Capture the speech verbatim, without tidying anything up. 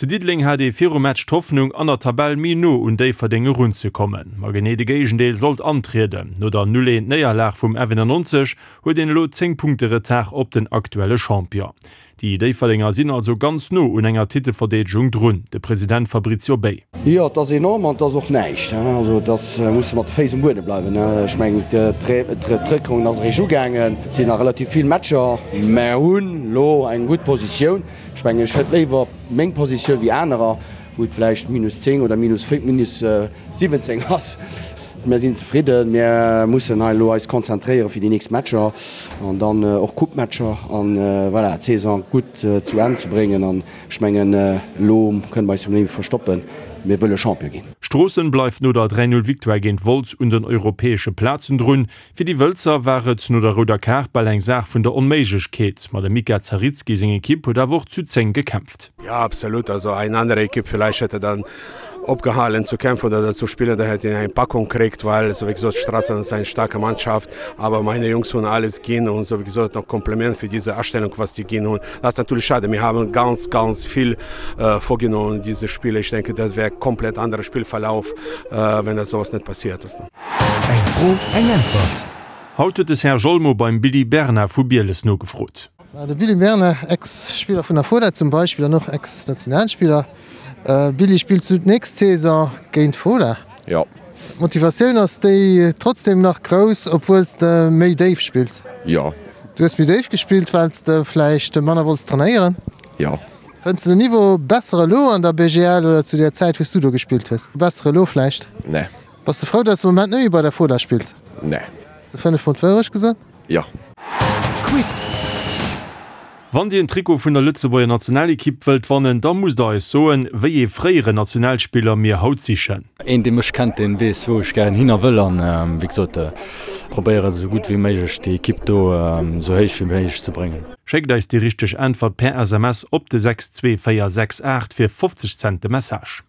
Zu Diddeleng hat ee virum Match d'Hoffnung, an der Tabell méi no un Déifferdeng erunzekommen. Ma genee de Géigendeel sollt antrieden. No der null eent Néierlag vum F eenannonzeg huet een elo zéng Punkte Retard op den aktuelle Champion. Déi Déifferdenger sinn also ganz no un enger Titelverdeedegung drun. De President Fabrizio Bay. Jo, et ass enorm an et ass och näischt. Also et ass, musse mat de Féiss um Buedem bleiwen. Ech mengen, d'Réckronn ass eréischt ugaangen. Et sinn nach relativ vill Matcher. Mer hunn elo eng gutt Positioun. Ech mengen, ech hätt léiwer meng Positioun wéi anerer, wou et vläicht minus zéng oder minus minus siwwenzéng ass. Mir sinn zefridden. Mir mussen hei elo eis konzentréiere fir déi nächst Matcher an dann och Coupe-Matcher an voilà, d'Saison gutt zu Enn ze bréngen. An ech mengen, elo kënne mer eis net méi verstoppen, mir wëlle Champion ginn. Stroossen bleift no der dräi Null Victoire géint Wolz un den europäesche Plazen drun. Fir déi Wëlzer war et no der rouder Kaart bal eng Saach vun der Onméiglechkeet, ma dem Mika Zaritski seng Ekipp huet awer och zu zéng gekämpft. Ja, absolut. Also eine andere Equipe vielleicht hätte dann opgehalten zu kämpfen oder zu spielen, da hätte ich eine Packung gekriegt, weil so wie gesagt, Straßen ist eine starke Mannschaft, aber meine Jungs haben alles gehen und so wie gesagt, noch Kompliment für diese Erstellung, was die gehen und das ist natürlich schade. Wir haben ganz, ganz viel äh, vorgenommen in diese Spiele. Ich denke, das wäre komplett anderer Spielverlauf, äh, wenn das sowas nicht passiert ist. Eng Fro, eng Äntwert. Haut huet de Serge Olmo beim Billy Berna vu Bieles nogefrot. De Billy Berna, Ex-Spiller vun der Fola zum Beispill an och Ex-Nationalspiller. Billy, spills du d'nächst Saison géint Fola? Jo. D'Motivatioun ass déi trotzdem nach grouss, obwuel s de méi déif spills? Jo. Du hues méi déif gespillt, well s de vläicht manner wollts trainéieren? Jo. Fënns de den Niveau besser elo an der B G L oder zu där Zäit, wou s du do gespillt hues? Besser elo vläicht? Nee. Bass de frou, datt s de am Moment net méi bei der Fola spills? Nee. Hues de fënnef mol d'Wourecht gesot? Jo. Quiz. Wann Dir en Trikot vun der Lëtzebuerger Nationalekipp wëllt wannen, da musst der eis soen, wéi ee fréieren Nationalspiller mir haut sichen. Een dee mech kennt, deen weess wou ech gären hin a wëll an wéi gesot probéieren esou gutt wéi méiglech déi Ekipp do esou héich wéi méiglech ze bréngen. Schéckt eis déi richteg Äntwert per S M S op de sechs zwee véier sechs aacht fir fofzeg Cent de Message.